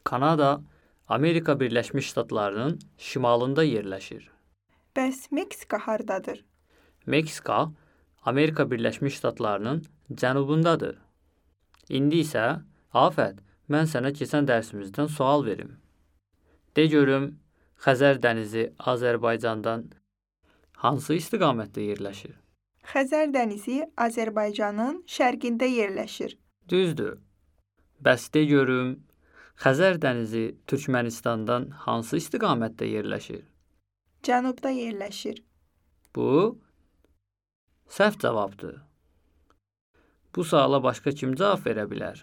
Kanada, Amerika Birləşmiş Ştatlarının şimalında yerləşir. Bəs Meksika hardadır? Meksika, Amerika Birləşmiş Ştatlarının cənubundadır. İndi isə, Afət, mən sənə keçən dərsimizdən sual verim. De görüm, Xəzər dənizi Azərbaycandan hansı istiqamətdə yerləşir? Xəzər dənizi Azərbaycanın şərqində yerləşir. Düzdür. Bəs de görüm, Xəzər dənizi Türkmənistandan hansı istiqamətdə yerləşir? Cənubda yerləşir. Bu səhv cavabdır. Bu suala başqa kim cavab verə bilər?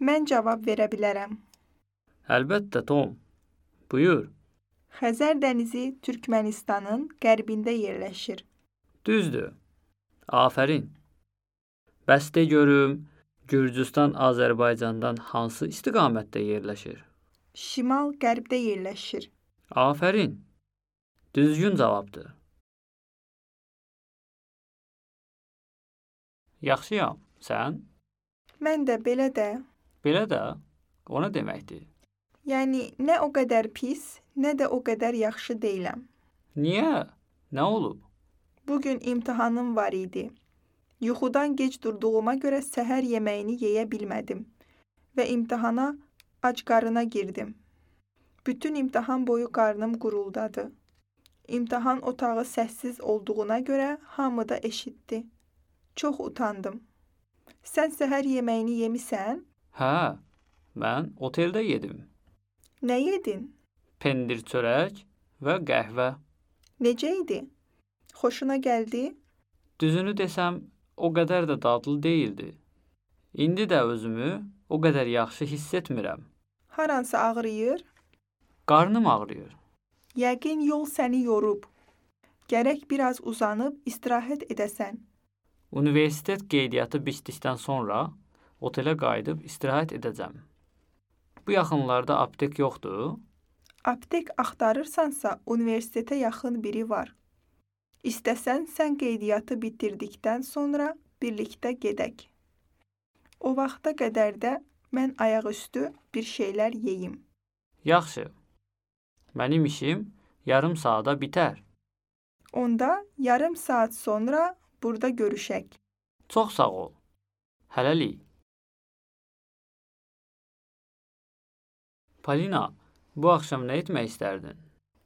Mən cavab verə bilərəm. Əlbəttə, Tom. Buyur. Xəzər dənizi Türkmənistanın qərbində yerləşir. Düzdür. Afərin. Bəs de görüm, Gürcüstan Azərbaycandan hansı istiqamətdə yerləşir? Şimal-qərbdə yerləşir. Afərin. Düzgün cavabdır. Yaxşıyam. Sən? Mən də belə də. Belə də? O nə deməkdir? Yəni, nə o qədər pis, nə də o qədər yaxşı deyiləm. Niyə? Nə olub? Bugün imtahanım var idi. Yuxudan gec durduğuma görə səhər yeməyini yeyə bilmədim və imtahana ac qarına girdim. Bütün imtahan boyu qarnım quruldadı. İmtahan otağı səssiz olduğuna görə hamı da eşitdi. Çox utandım. Sən səhər yeməyini yemisən? Hə, mən oteldə yedim. Nə yedin? Pendir çörək və qəhvə. Necə idi? Xoşuna gəldi? Düzünü desəm, o qədər də dadlı deyildi. İndi də özümü o qədər yaxşı hiss etmirəm. Haransı ağrıyır? Qarnım ağrıyır. Yəqin yol səni yorub. Gərək biraz uzanıb istirahət edəsən. Universitet qeydiyyatı bitdikdən sonra otelə qayıdıb istirahət edəcəm. Bu yaxınlarda aptek yoxdur? Aptek axtarırsansa, universitetə yaxın biri var. İstəsən, sən qeydiyyatı bitirdikdən sonra birlikdə gedək. O vaxta qədər də mən ayaqüstü bir şeylər yeyim. Yaxşı. Mənim işim yarım saata bitər. Onda yarım saat sonra burada görüşək. Çox sağ ol. Hələlik. Polina, bu axşam nə etmək istərdin?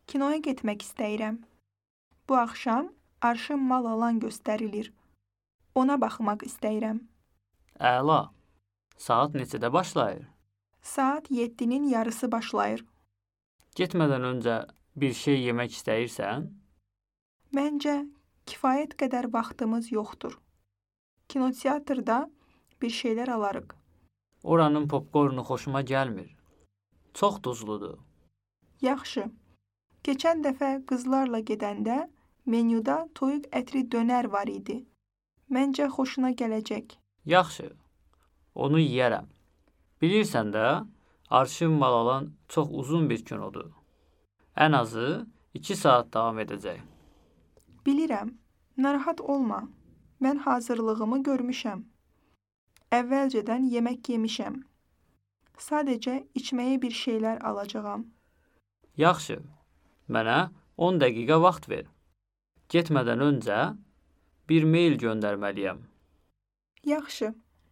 Kinoya getmək istəyirəm. Bu axşam Arşın Mal Alan göstərilir. Ona baxmaq istəyirəm. Əla. Saat neçədə başlayır? Saat 7-nin yarısı başlayır. Getmədən öncə bir şey yemək istəyirsən? Məncə, kifayət qədər vaxtımız yoxdur. Kinoteatrda bir şeylər alarıq. Oranın popkornu xoşuma gəlmir. Çox duzludur. Yaxşı. Keçən dəfə qızlarla gedəndə menyuda toyuq ətri dönər var idi. Məncə xoşuna gələcək. Yaxşı. Onu yeyərəm. Bilirsən də, Arşın Mal Alan çox uzun bir kinodur. Ən azı 2 saat davam edəcək. Bilirəm. Narahat olma. Mən hazırlığımı görmüşəm. Əvvəlcədən yemək yemişəm. Sadəcə içməyə bir şeylər alacağam. Yaxşı. Mənə 10 dəqiqə vaxt ver. Getmədən öncə bir mail göndərməliyəm. Yaxşı.